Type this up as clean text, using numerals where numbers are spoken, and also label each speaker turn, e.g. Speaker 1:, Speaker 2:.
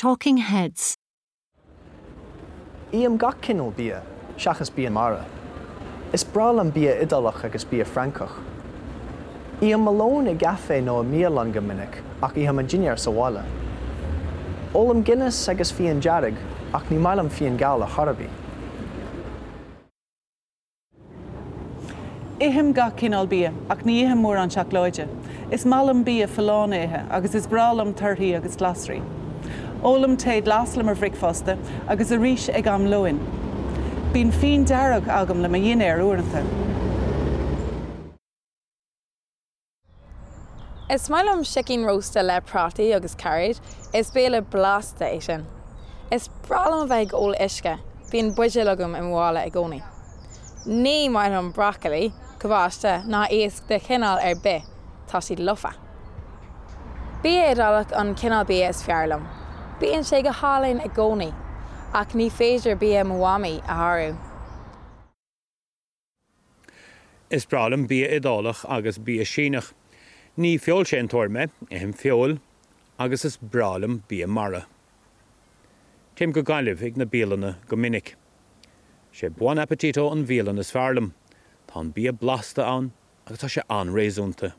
Speaker 1: Talking Heads.
Speaker 2: Ithim gach cineál bia, seachas bia mara. Is breá liom bia Iodálach agus bia Francach. Ithim mo lón i gcaife nó i mbialann go minic ach ithim mo dhinnéar sa bhaile. Ólaim Guinness agus fíon dearg ach ní maith liom fíon geal ar chor ar bith.
Speaker 3: Ithim gach cineál bia, ach ní ithim mórán seacláide. Is maith liom bia folláin a ithe agus is breá liom torthaí agus glasraí. Ólaim tae glas le mo bhricfeasta agus arís ag am lóin. Bíonn fíon dearg agam le mo dhinnéar uaireanta.
Speaker 4: Is maith liom sicín rósta le prátaí agus cairéid, is béile blasta é sin. Is breá liom a bheith ag ól uisce, bíonn buidéal agam i mo mhála i gcónaí. Ní maith liom brocailí, cabáiste ná iasc de chineál ar bith, tá siad lofa. Bia Iodálach an cineál bia is fearr liom. Bíonn sé go hálainn i gcónaí, ach ní féidir bia mo mhamaí a shárú.
Speaker 5: Is breá liom bia Iodálach agus bia Síneach. Ní feoilséantóir mé, ithim feoil agus is breá liom bia mara. Téim go Gaillimh ag na bialanna go minic. Sé Buon Appetito an bhialann is fearr liom. Tá an bia blasta ann agus tá sé an-réasúnta.